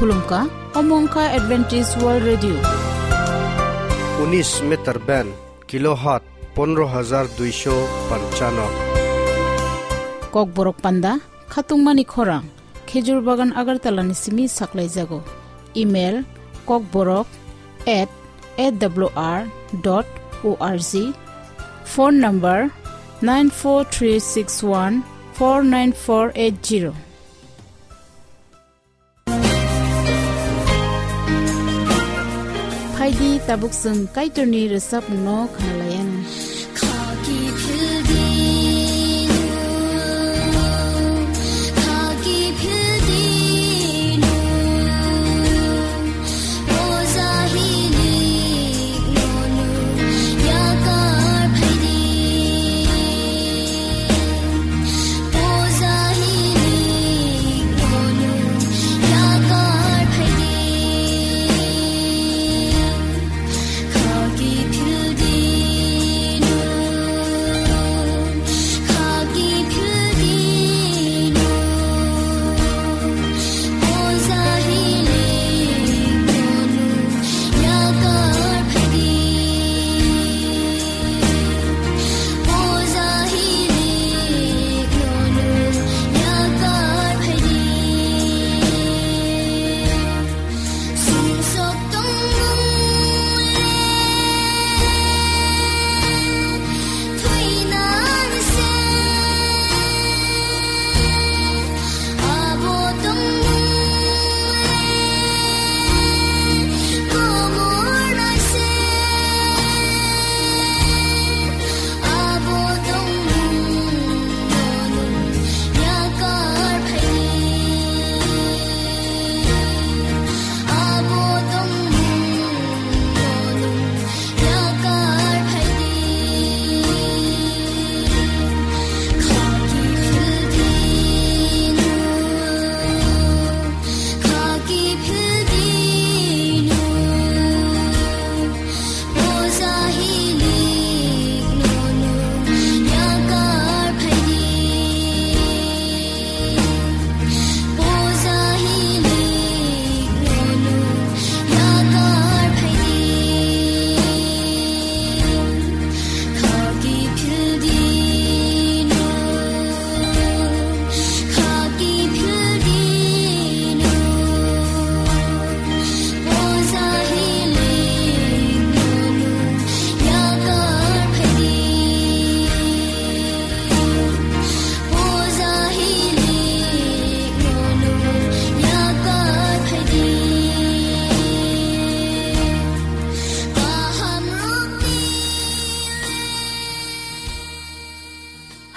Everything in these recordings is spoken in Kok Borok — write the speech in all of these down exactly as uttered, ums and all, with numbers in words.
Khulumkha, omo wngkha Adventist World Radio. Unis meter band, kilohertz pondro hajar duisho panchano. Kokborok panda, khatungmani khorang, Khejur Bagan Agartala ni simi saklaijago. Email, kokborok at A W R dot O R G. Phone number, nine four three six one four nine four eight zero. Phaidi tabuk chwng Kaitorni rwchapmungno khwnalaianw.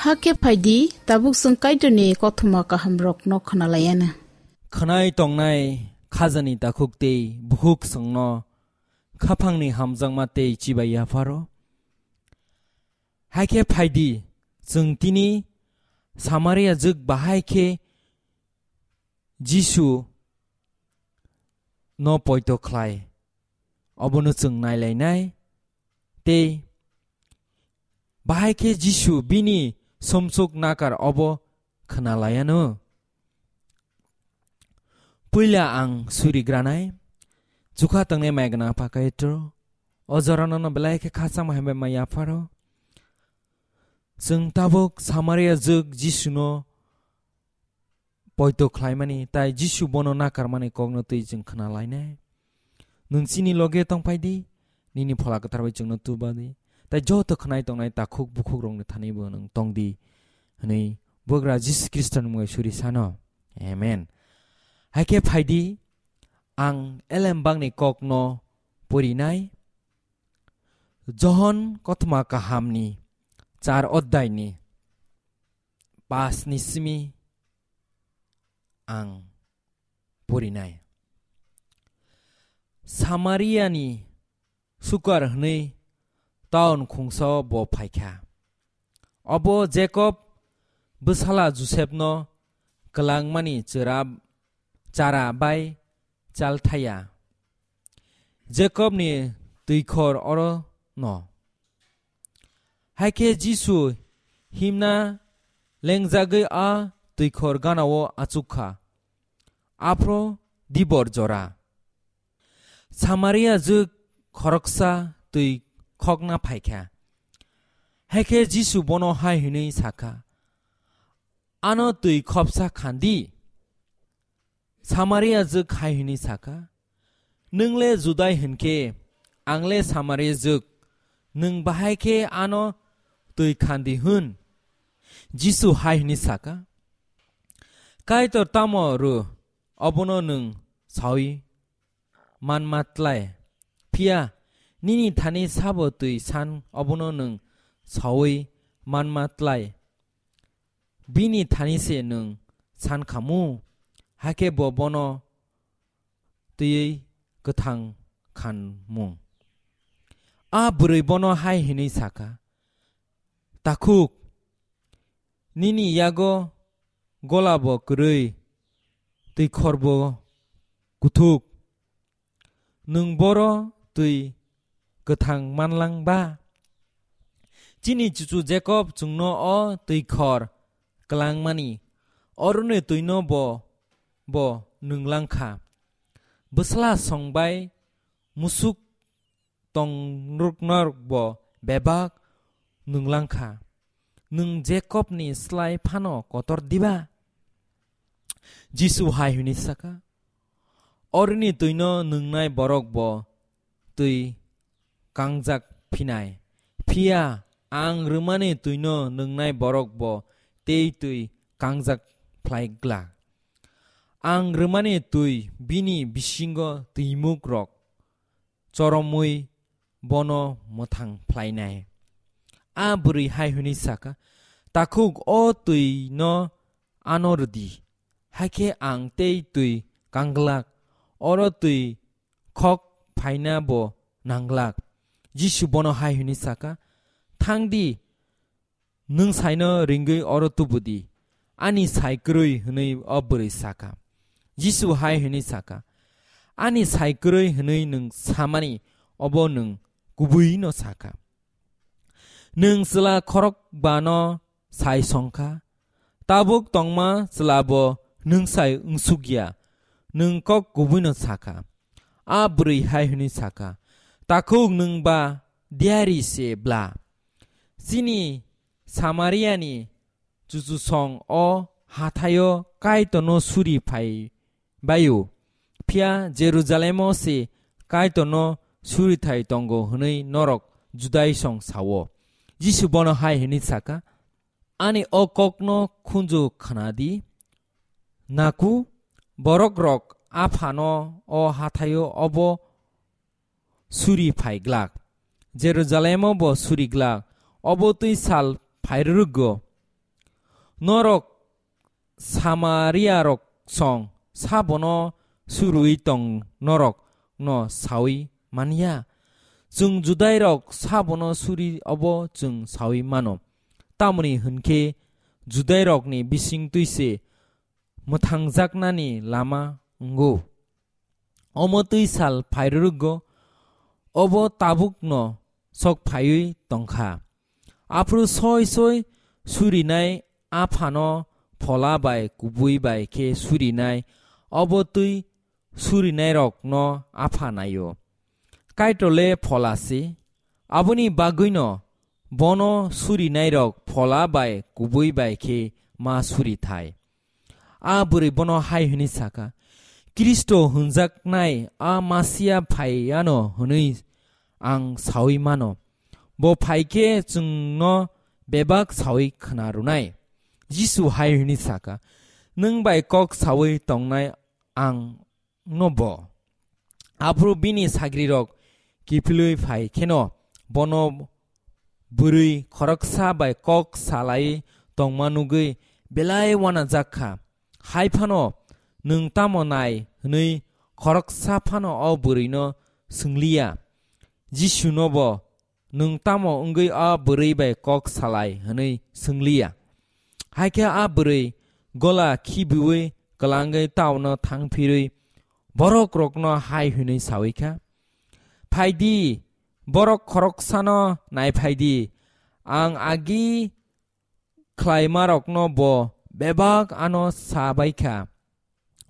Hakhe phaidi, tabuk chwng Kaitorni kothoma kahamrokno khwnalaianw. Khwnai tongnai khajani takhuk tei bukhuk chwngno khaphangni hamjakma tei chibai yapharo. Hakhe phaidi, chwng tini Samaria jwk bahai khe Jisu no poito khlai, obono chwng nailainai, tei bahai khe Jisu bini somsok nakar obo khwnalaianw. Puila ang suri granai, chukha tongnai mai gwnang Apha Kaitor, o jorano no belai khe khachangma hambai ma yapharo. Chwng tabuk Samaria jwk Jisu no poito khlaimani, tai Jisu bono nakarmani kokno twi chwng khna lainai. Nwng chini loge tong phai di, nini Phola Kwthar bai chwngno tuba di, tai joto khnai tongnai takhuk bukhuk rokni thani bo nwng tong di, hwnwi Bubagra Jisu Khristoni mungwi suri sano. Amen. Hai khe phai di, ang elembakni kokno porinai, Johon kothoma kahamni char oddaini pas ni simi ang porinai. Samariani Sukar hwnwi taun khungsao bo phaikha. Obo Jakob bwsala Josepno kwlangmani chwra-, chara bai chalthaya. Jakobni twikhor oro no. Hai khe Jisu himna lengjagwi a twikhor ganao achuk kha. Aphro dibor jora. Samaria jwk khoroksa twi khokna phai kha. Hakhe Jisu bono hai hwnwi sa kha, "Ano twi khopsa khan di." Samaria jwk hai hwnwi sa kha, "Nwng le Judai hwn khe, ang le Samaria jwk, nwng bahai khe ano twi khan di hwn?" Jisu hai hwnwi sa kha, "Kaitor tamo rw, obono nwng saui manma tlai. Phiya nini thani sabo twi san, obono nwng saui manma tlai. Bini thani se nwng san khamu, hakhe bo bono twiwi kwthang khanmung." A bwrwi bono hai hwnwi sa kha, "Takhuk, nini yago gola bo kwrwi, twikhor bo kuthuk. Nwng boro twi kwthang manlang ba? Chini chuchu Jakob chwngno o twikhor kwlangmani, oroni twino bo, bo nwnglang kha. Bwsla song bai musuk tongnok norok bo bebak nwnglang kha. Nwng Jakobni slai phano kotor diba?" Jisu hai hwnwi sa kha, "Orini twino nwngnai borok bo twi kangjak phinai. Phiya ang rwmani twino nwngnai borok bo tei twi kangjak phlai glak. Ang rwmani twi bini bisingo twimuk rok choromwi bono mwthang phlainai." A bwrwi hai hwnwi sa kha, "Takhuk, o twino ano rwdi, hakhe ang tei twi kanglak, oro twi khok phaina bo nanglak." Jisu bono hai hwnwi sa kha, "Thang di, nwng saino ringwi oro tubu di, ani sai kwrwi," hwnwi o bwrwi sa kha. Jisu hai hwnwi sa kha, "Ani sai kwrwi hwnwi nwng samani obo nwng kubui'-no sa kha. Nwng chwla khorokbano sai song kha, tabuk tongma chwla bo nwng sai wngsuk ya, nwng kok kubui'-no sa kha." A bwrwi hai hwnwi sa kha, "Takhuk, nwng ba diyari se bla. Chini Samariani chuchusong o hathaio Kaitorno suri phai bai-o, phiya Jerusalemo se Kaitorno surithai tongo hwnwi norok Judaisong sa-o." Jisu bono hai hwnwi sa kha, "Ani o kokno khunju khna di. Naku, borokrok Aphano o hathaio obo suri phai glak, Jerusalemo bo suri glak, obo twi sal phai rwrwgo. Norok Samariarok song sabono surwi tong norok no saui man ya? Chwng Judairok sabono suri obo chwng saui mano, tamoni hwn khe Judairokni bising twi se mwthangjaknani lama wngo. Omo twi sal phai rwrwgo, obo tabukno sok phaiwi tong kha. Aphuru soi soi surinai Aphano Phola bai kubui bai khe surinai, obo twi surinairokno Apha nai-o. Kaitor le Phola se, aboni bagwino bono surinairok Phola bai kubui bai khe ma suri thai." A bwrwi bono hai hwnwi sa kha, "Khristo hwnjaknai a Masia phai anw hwnwi ang saui mano. Bo phai khe chwngno bebak saui khna rwnai." Jisu hai hwnwi sa kha, "Nwng bai kok saui tongnai ang no bo." Aphuru bini sagrirok kiphilwi phai kheno bono bwrwi khoroksa bai kok salai tongma nugwi belai uanajak kha. Hai phano, "Nwng tamo nai?" hwnwi khoroksa phano o bwrwino swngliya. Jisuno bo, "Nwng tamo wngwi a bwrwi bai kok salai?" hwnwi swngliya. Hai khe a bwrwi gola khibiui kwlangwi taono thangphirwi borokrokno hai hwnwi saui kha, "Phai di, borok khoroksano naiphai di. Ang agi khlaimarokno bo bebak ano sa bai kha.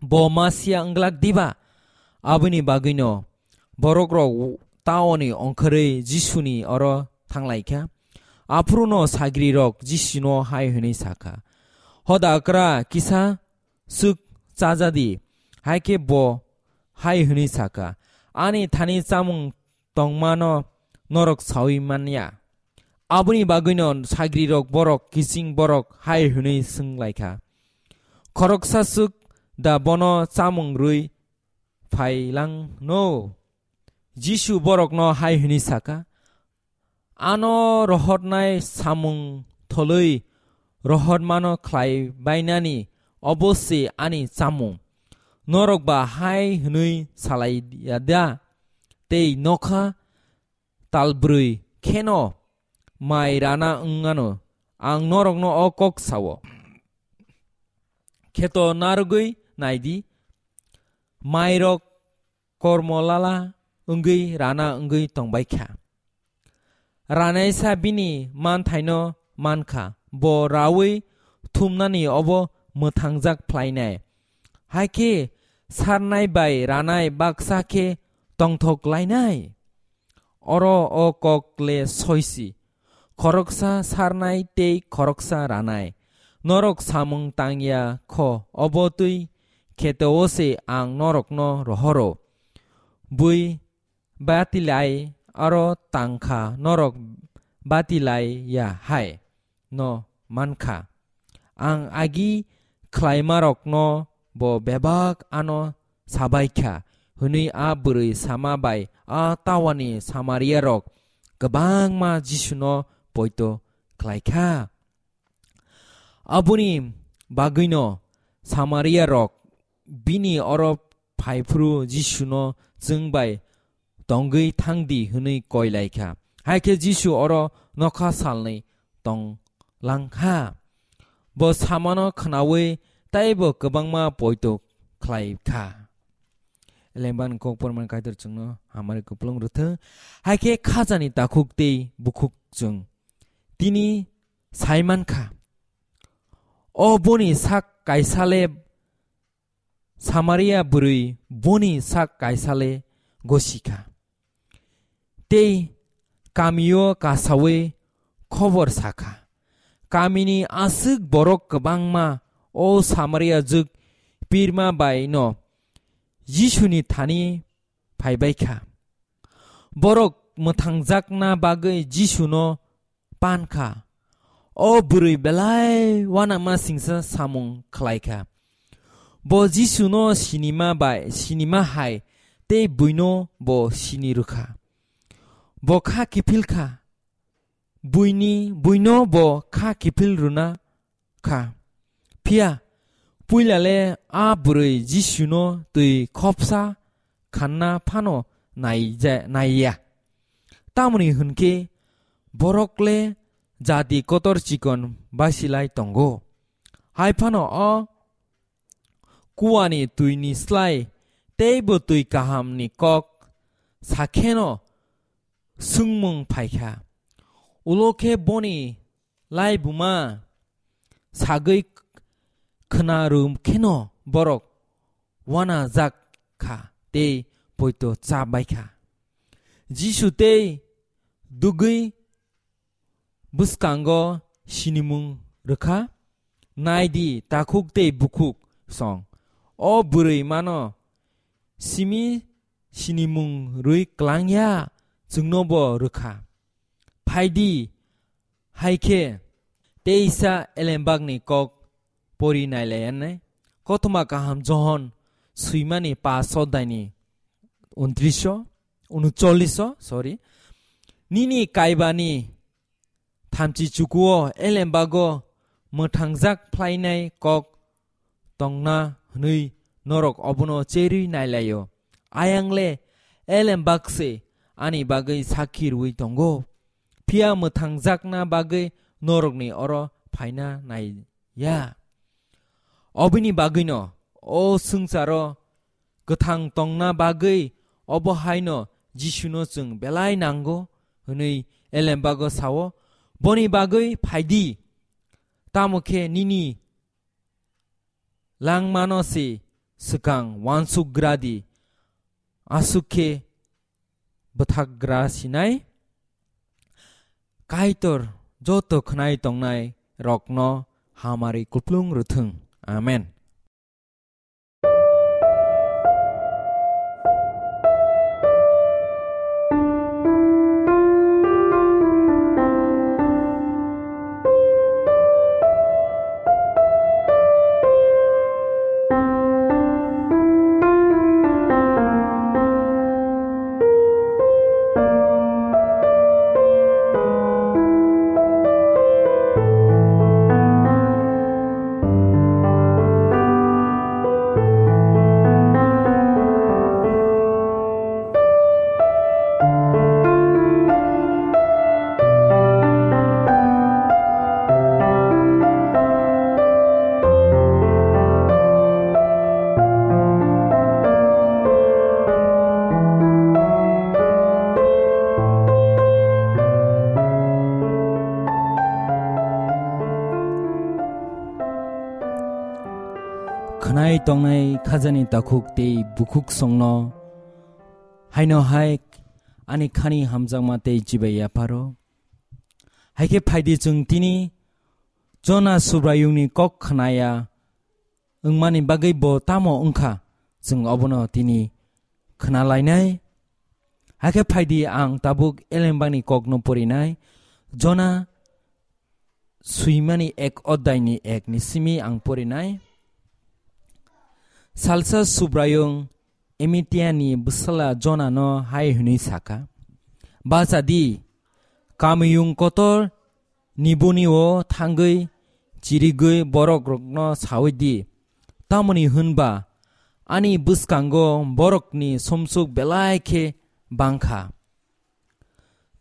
Bo Masia wng glak diba? Aboni bagwino borok rok taoni ongkhorwi Jisuni oro thanglaikha. Aphuru no sagri rok Jisuno hai hwnwi sakha, "Hoda kra kisa swk chajadi." Hai khe bo hai hwnwi sakha, "Ani thani chamung tongmano norok saui manya." Aboni bagwino sagrirok borok kiching borok hai hwnwi swnglaikha, "Khoroksa swk da bono chamung rwi phailangno?" Jisu borokno hai hwnwi sakha, "Ano rohornai samung tholwi rohormano khlai bainani obo se ani chamung. Norok ba hai hwnwi salai ya da? Tei nokha talbrwi kheno mai rana wng anw. Ang norokno o kok sao. Kheto narwgwi nai di, mairok kormo lala wngwi rana wngwi tongbai kha. Ranaisa bini manthaino man kha, bo raui thumnani obo mwthangjak phlainai. Hai khe sarnai bai ranai baksa khe tongthok lainai. Oro o kok le soisi, khoroksa sarnai tei khoroksa ranai. Norok samung tangya kho, obo twi kheteo se ang norokno rohoro. Bui batilai aro tangkha, norok batilai ya hai no mankha. Ang agi khlaimarokno bo bebak ano sabaikha, hwnwi a bwrwi sama bai a tawani Samariarok kwbangma Jisuno poito khlaikha. Aboni bagwino Samariarok bini oro phaiphuru Jisuno chwng bai tongwi thang di hwnwi koi lai kha. Hai khe Jisu oro nokha salnwi tong lang kha. Bo samano khnaui taibo kwbangma poito khlai kha. Elembani kok pormani Kaitor chwngno hamari kupulung rwthwng. Hai khe khajani takhuk tei bukhuk chwng tini sai man kha. O boni sak kaisa le Samaria bwrwi boni sak kaisa le gosi kha. Tei kamio kasaui khobor sa kha. Kamini aswk borok kwbangma o Samaria jwk pirma bai no Jisuni thani phaibai kha. Borok mwthangjakna bagwi Jisuno pan kha. O bwrwi belai uanama singsa samung khlai kha. Bo Jisuno sinima bai, sinima hai tei buino bo sini rwkha. Bo kha kiphil kha. Buini, buino bo kha kiphil rwna kha. Phiya puila le a bwrwi Jisuno twi khopsa khanna phano naija-, naiya. Tamoni hwn khe borok le jati kotor chikon basilai tongo. Hai phano o kuani twini slai teibo twi kahamni kok sa kheno swngmung phai kha. Ulo khe boni laibuma sagwi khna rw kheno borok uanajak kha tei poito cha bai kha. Jisu tei dugwi bwskango sinimung rwkha. Nai di, takhuk tei bukhuk song. O bwrwi mano simi sinimung rwi klang ya, chwngno bo rwkha. Phai di, hai khe teisa elembakni kok pori nai lai anai. Kothoma kaham Johon swimani paso daini untris o, unuchollis o, sorry. Nini kaibani thamchi chukuo elembago mwthangjak phlainai kok tongna hwnwi norok obono cherwi nai lai-o. Ayang le elembak se ani bagwi sakhi rwui tongo, phiya mwthangjakna bagwi norokni oro phaina nai ya. Obini bagwino o swngcharo kwthang tongna bagwi obo haino Jisuno chwng belai nango hwnwi elembago sao, "Boni bagwi phai di, tamo khe nini langmano se swkang uansukgra di, aswk khe bwthakgra sinai. Kaitor joto khwnai tongnai rokno hamari kuplung rwthwng. Amen. Khwnai tongnai khajani takhuk tei bukhuk songno haino hai ani khani hamjakma tei chibai yapharo. Hai khe phaidi chwng tini Jona Subraiyungni kok khnaya wngmani bagwi bo tamo wngkha, chwng obono tini khna lainai. Hakhe phaidi ang tabuk elembani kokno porinai. Jona swimani ek oddaini ek ni simi ang porinai. Salsa Subraiyung Emitiani bwsala Jonano hai hwnwi sakha, "Bacha di, kamiyung kotor nibuni o thangwi chirigwi borokrokno saui di, tamoni hwnba ani bwskango borokni somsuk belai khe bangkha."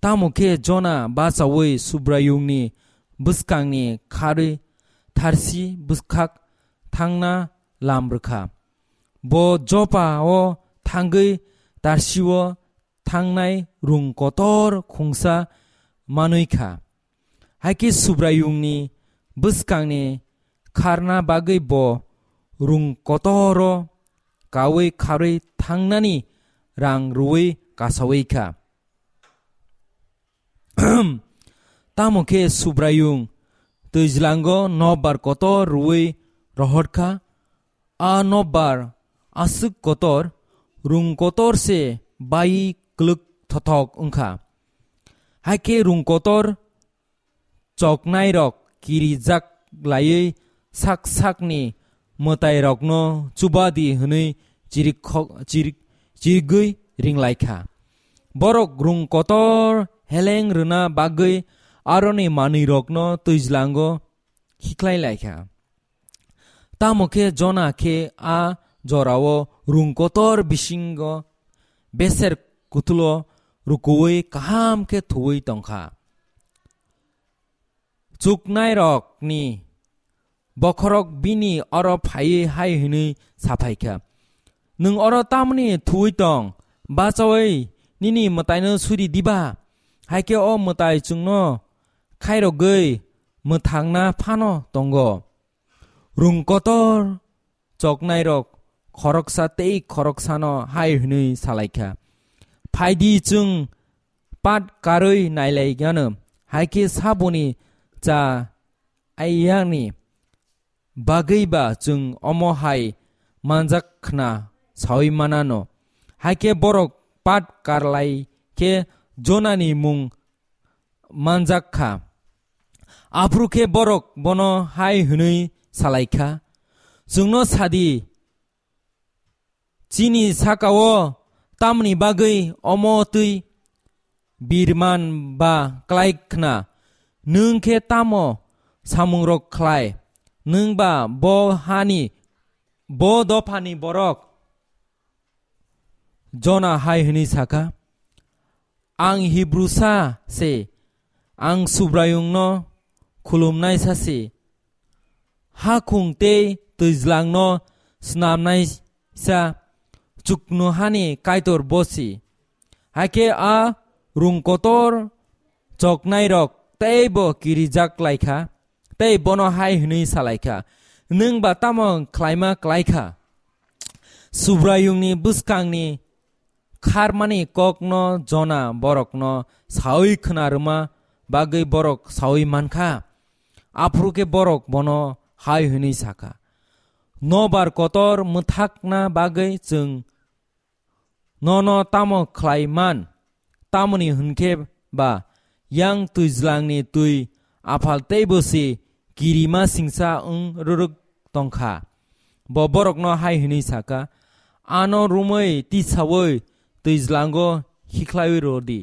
Tamo khe Jona bachaui Subraiyungni bwskangni kharwi Tharsi bwkhak thangna lam rwkha. Bo Jopa o thangwi Tarsi o thangnai rung kotor khungsa manwi kha. Hai khe Subraiyungni bwskangni kharna bagwi bo rung kotoro kaui kharwi thangnani rang rwui kasaui kha. Tamo khe Subraiyung twijlango nokbar kotor rwui rohor kha. A nokbar aswk kotor, rung kotor se bai kwlwk thothok wngkha. Hai khe rung kotor choknairok kirijak laiwi sak sakni mwtairokno chubadi hwnwi chirik kho-, chirik, chirigwi ringlaikha. Borok rung kotor heleng rwna bagwi aroni manwirokno twijlango khiklai laikha. Tamo khe Jona khe a jorao rung kotor bisingo beser kutulo rukuui kaham khe thuui tongkha. Chuknairokni bokhorok bini oro phaiwi hai hwnwi saphaikha, "Nwng oro tamni thuui tong? Bachaui nini mwtaino suri diba? Hai khe o mwtai chwngno khairogwi mwthangna phano tongo." Rung kotor choknairok khoroksa tei khoroksano hai hwnwi salaikha, "Phaidi chwng pat karwi nailai gano, hai khe saboni cha aiyakni bagwi ba chwng omo hai manjak khna saui manano." Hai khe borok pat karlai khe Jonani mung manjak kha. Aphuru khe borok bono hai hwnwi salai kha, "Chwngno sadi, chini saka-o tamni bagwi omo twi birman ba klai khna? Nwng khe tamo samungrok khlai? Nwng ba bo hani, bo dophani borok?" Jona hai hwnwi sakha, "Ang Hibrusa se, ang Subraiyungno khulumnaisa se, hakhung tei twijlangno snamnaisa, chuknohani Kaitor bo se. Hai khe a rung kotor choknairok teibo kirijak lai kha, tei bono hai hwnwi salai kha, 'Nwng ba tamo khlaima klai kha?' Subraiyungni bwskangni kharmani kokno Jona borokno saui khna rwma bagwi borok saui mankha. Aphuru khe borok bono hai hwnwi sakha, "Nobar kotor mwthakna bagwi chwng nono tamo khlai man? Tamoni hwn khe ba yang twijlangni twi aphal teibo se kirima singsa wng rwrwk tong kha." Bo borokno hai hwnwi sakha, "Ano rumwi tisaui twijlango hikhlaiwi rw di."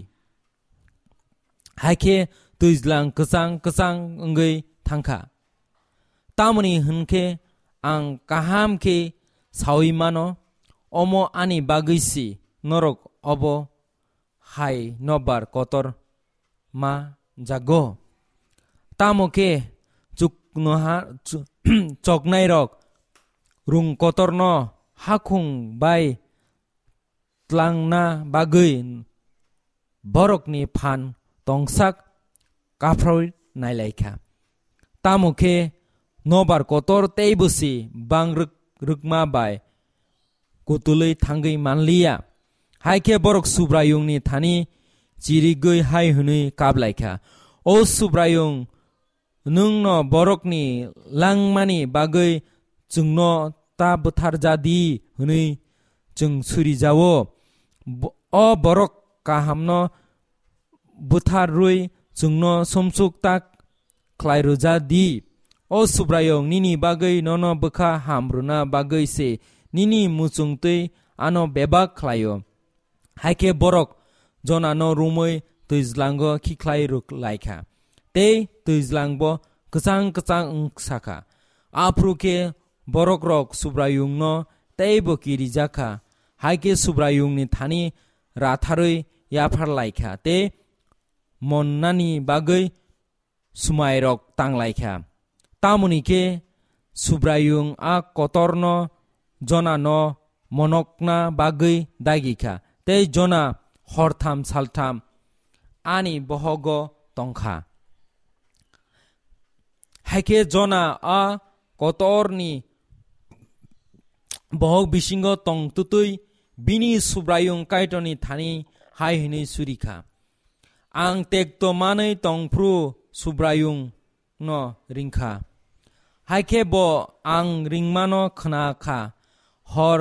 Hai khe twijlang kwchang kwchang wngwi thang kha. Tamoni hwn khe ang kaham khe saui mano, omo ani bagwi si norok obo hai nobar kotor ma jago. Tamo khe chuknoha-, chu-, choknairok rung kotorno hakhung bai tlangna bagwi borokni phan tongsak kaphroi nailaikha. Tamo khe nobar kotor teibo si bang rwk-, rwkma bai kutulwi thangwi manliya. Hai khe borok Subraiyungni thani chirigwi hai hwnwi kaplaikha, "O Subraiyung, nwngno borokni langmani bagwi chwngno ta bwtharja di," hwnwi chwng surijago. Bo-, o borok kahamno bwtharwi chwngno sumsuk ta khlai rwja di. O Subraiyung, nini bagwi nono bwkha ham rwna bagwi se nini muchungtwi ano bebak khlaio. Hai khe borok Jonano rumwi twijlango khikhlai rwk lai kha, tei twijlangbo kwchang kwchang wng sa kha. Aphuru khe borokrok Subraiyungno teibo kirijak kha, hai khe Subraiyungni thani ratharwi yaphar lai kha tei monnani bagwi swmairok tang lai kha. Tamoni khe Subraiyung a kotorno Jonano monokna bagwi dagi kha, tei Jona hortham saltham ani bohogo tong kha. Hai khe Jona a kotorni bohok bisingo tong twtwi bini Subraiyung Kaitorni thani hai hwnwi suri kha, "Ang tekto manwi tong phru Subraiyungno ring kha. Hai khe bo ang ringmano khna kha, hor,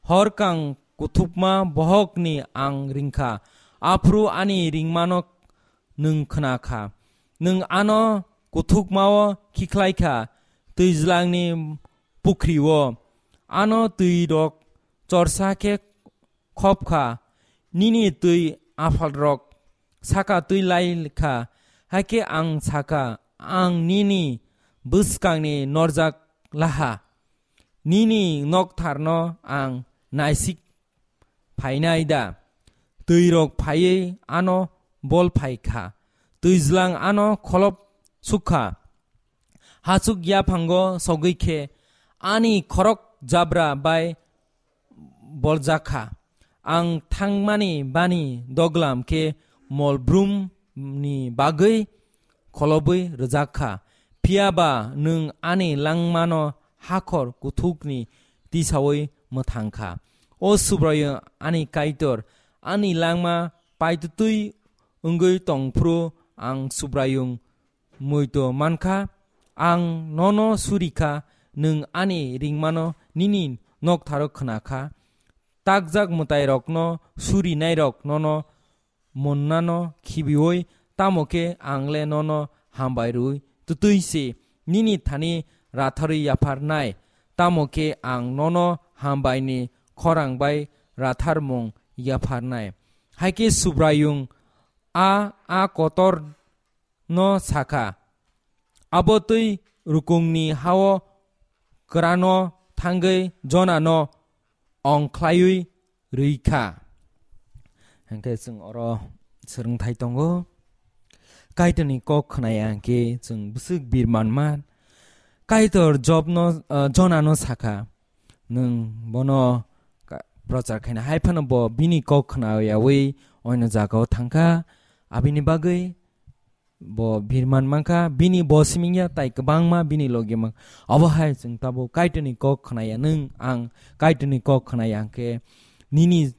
hor kang kuthukma bohokni ang ring kha, aphuru ani ringmano nwng khna kha. Nwng ano kuthukmao khikhlai kha, twijlangni pukhrio. Ano twirok chorsa khe khop kha, nini twi aphalrok saka twi lai kha. Hai khe ang sa kha, ang nini bwskangni norjak laha, nini noktharno ang naisik phainai da?" Twirok phaiwi ano bol phai kha, twijlang ano kholop suk kha. Hachuk yaphango sogwi khe ani khorok jabra bai boljak kha. Ang thangmani bani doglam khe mol brumni bagwi kholobwi rwjak kha. Phiya ba nwng ani langmano hakhor kuthukni tisaui mwthang kha. O Subraiyung ani Kaitor, ani langma paitwtwi wngwi tong phru ang Subraiyung muitu man kha. Ang nono suri kha, nwng ani ringmano nini noktharo khna kha. Takjak mwtairokno surinairok nono monnano khibiui, tamo khe ang le nono hambai rwui twtwi se nini thani ratharwi yapharnai, tamo khe ang nono hambaini khorang bai ratharmung yapharnai. Hai khe Subraiyung a, a kotor no sakha, abo twi rukungni hao kwrano thangwi Jonano ongkhlaiwi rwi kha. Hwnkhe chwng oro swrwngthai tongo. Kaitorni kok khwnaya hwnkhe chwng bwswk bir manman. Kaitor Jobno, ah, Jonano sakha, "Nwng bono ka-, prochar khaina." Hai phano bo bini kok khnayawi oino jagao thangkha. Abini bagwi Bo birman mankha, bini bo simingya tai kwbangma bini logi mang. Obo hai chwng tabuk Kaitorni kok khnaya nwng, ang Kaitorni kok khnaya hwnkhe nini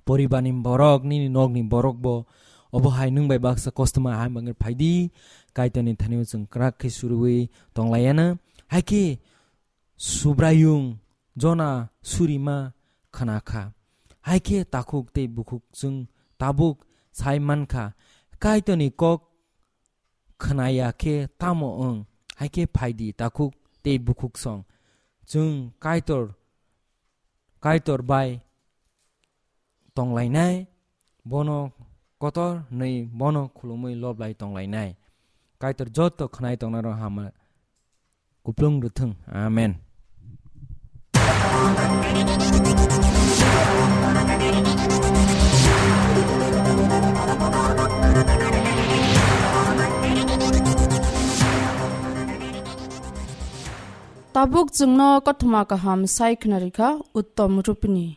poribarni borok, nini nokni borok bo obo hai nwng bai baksa kostoma hai mangwi phaidi, Kaitorni thani chwng kwrak khe surwi tonglayana. Hai khe Subraiyung Jona surima khna kha. Hai khe takhuk tei bukhuk chwng tabuk sai man kha, Kaitorni kok khnaya khe tamo wng? Hai khe phaidi takhuk tei bukhuk song. Chwng Kaitor, Kaitor bai tonglainai, bono kotor hwnwi bono khulumwi loblai tonglainai. Kaitor joto khnai tongnarok hama kuplung rwthwng. Amen. Tabuk chwngno kothoma kaham sai khwnarikha Uttom Rupini.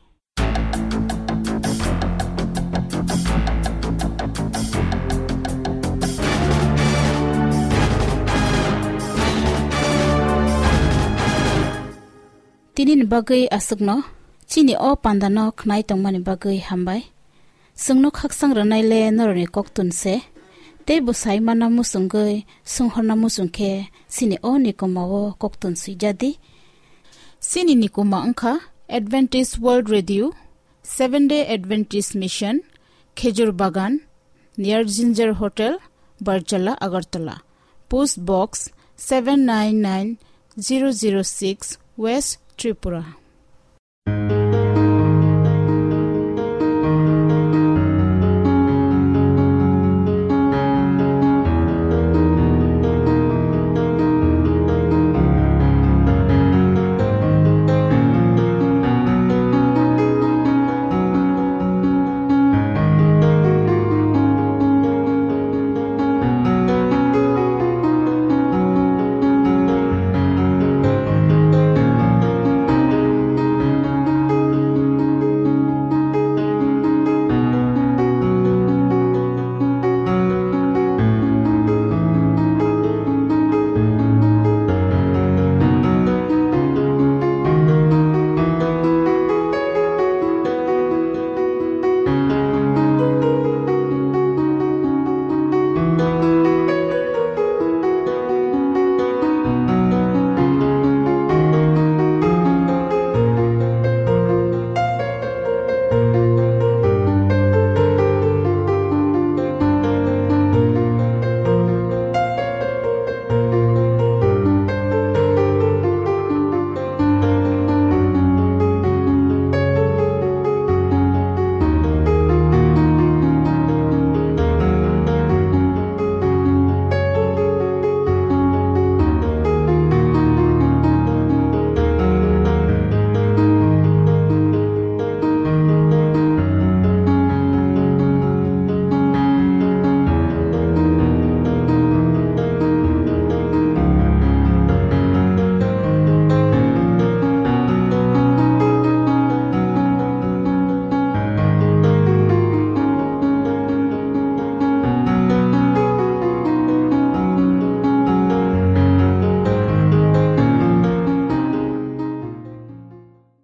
Tinini bagwi aswkno, chini o pandano khnai tongmani bagwi hambai. Chwngno khaksang rwnaile norokni koktun se, tei bwsai mana muchungwi, swnghorna muchung khe chini o nikoma o koktun swijadi. Chini nikoma wngkha Adventist World Radio, Seventh Day Adventist Mission, Khejur Bagan, near Ginger Hotel, Barjala, Agartala. Post Box seven nine nine zero zero six, West Tripura.